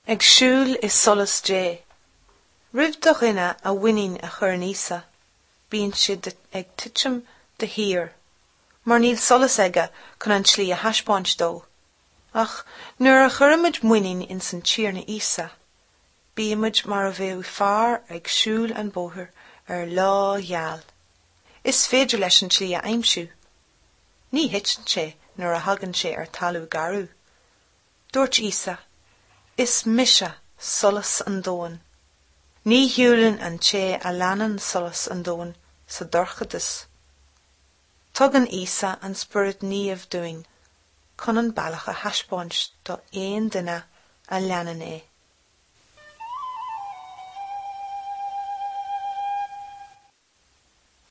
Ag siúl i solas Dé. Roimh do dhuine a mhuinín a chur in Íosa, bíonn sé ag titim de shíor, mar níl solas aige chun an tslí a thaispeáint dó. Ach nuair a chuirimid muinín ins an Tiarna Íosa, bímid mar a bheadh fear ag siúl an bóthar ar lá geal. Is féidir leis an tslí a aimsiú. Ní thiteann sé nuair a thagann sé ar talamh garbh. Dúirt Íosa, Is mise solas an domhain. Ní shiúlann an té a leanann solas an domhain sa dorchadas. Tugann Íosa an Spiorad Naomh dúinn chun an bealach a thaispeáint do aon duine a leanann é.